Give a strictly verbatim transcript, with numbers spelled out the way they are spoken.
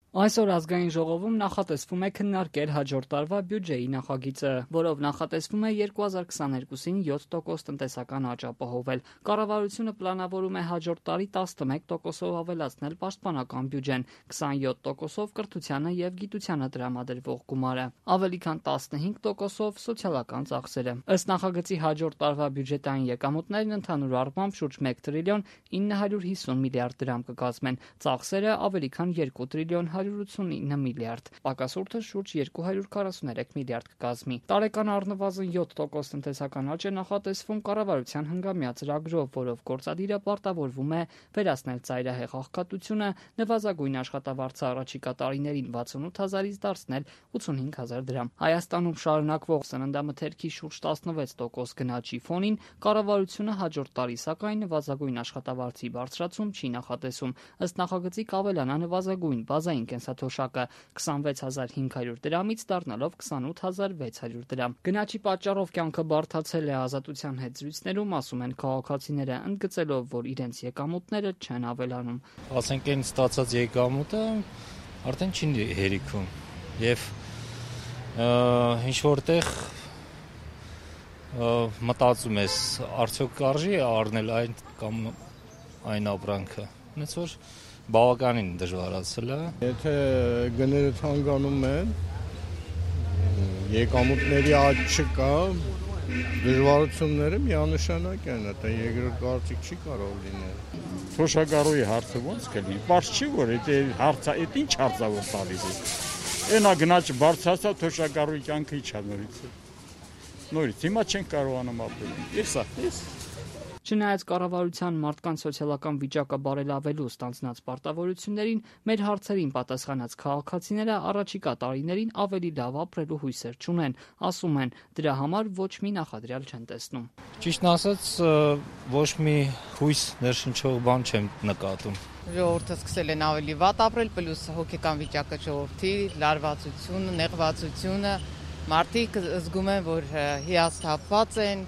Այսօր ազգային ժողովում նախատեսվում է քննարկել հաջորդ տարվա բյուջեի նախագիծը, որով նախատեսվում է երկու հազար քսաներկուսին յոթ տոկոս տնտեսական աճ ապահովել։ Կառավարությունը պլանավորում է հաջորդ տարի տասնմեկ տոկոսով ավելացնել պաշտպանական բյուջեն, քսանյոթ տոկոսով կրթությանը եւ գիտությանը տրամադրվող գումարը, ավելի քան տասնհինգ տոկոսով սոցիալական ծախսերը։ Ըստ նախագծի հաջորդ տարվա բյուջետային եկամուտներն ընդհանուր առմամբ շուրջ մեկ տրիլիոն ինը հարյուր հիսուն միլիարդ դրամ կկազմեն, ծախսերը ավելի քան երկու տրիլիոն հարյուր ութսունինը միլիարդ, պակասուրդը շուրջ երկու հարյուր քառասուներեք միլիարդ կկազմի։ Տարեկան առնվազն յոթ տոկոս տնտեսական աճ է նախատեսվում կառավարության հնգամյա ծրագրով, որով գործադիրը պարտավորվում է վերացնել ծայրահեղ աղքատությունը, նվազագույն աշխատավարձը առաջիկա տարիներին վաթսունութ հազարից դարձնել ութսունհինգ հազար դրամ։ Հայաստանում շարունակվող սննդամթերքի շուրջ տասնվեց տոկոս գնաճի ֆոնին կառավարությունը հաջորդ տարի սակայն նվազագույն աշխատավարձի բարձրացում չի նախատեսում։ Ըստ նախագծի կավելանա նվազագույն բազային կենսաթոշակը քսանվեց հազար հինգ հարյուր դրամից դառնալով քսանութ հազար վեց հարյուր դրամ։ Գնաճի պատճառով կյանքը բարդացել է ազատության հետ զրույցներում, ասում են քաղաքացիները, ընդգծելով, որ իրենց եկամուտները չեն ավելանում։ Ասենք այն ստացած եկամուտը արդեն չի հերիքում եւ ինչ որտեղ մտածում ես, արդյոք կարժի առնել այն կամ այն ապրանքը։ Ոնց որ բավականին դժվարացել է։ Եթե գները թանկանում են, եկամուտների աճ չկա, դժվարությունները միանշանակ են, դա երկրորդ կարծիք չի կարող լինել։ Թոշակառուի հարցը ո՞նց կլինի։ Պարզ չի, որ դա հարցը, դա ինչ հարցավոր տալիս է։ Այնա գնաճ բարձրացա, թոշակառուի կյանքը իջա նորից։ Նորից հիմա չեն կարողանում ապրել։ Էսա, էս Չնայած կառավարության մարդկանց սոցիալական վիճակը բարելավելու ստանձնած պարտավորություններին, մեր հարցերին պատասխանած քաղաքացիները առաջիկա տարիներին ավելի լավ ապրելու հույսեր չունեն, ասում են, դրա համար ոչ մի նախադրյալ չեն տեսնում։ Ճիշտն ասած, ոչ մի հույս ներշնչող բան չեմ նկատում։ Ժողովուրդը սկսել են ավելի վատ ապրել, պլյուս հոգեկան վիճակը ժողովրդի, լարվածությունը, նեղվածությունը, մարդիկ զգում են, որ հիասթափված են,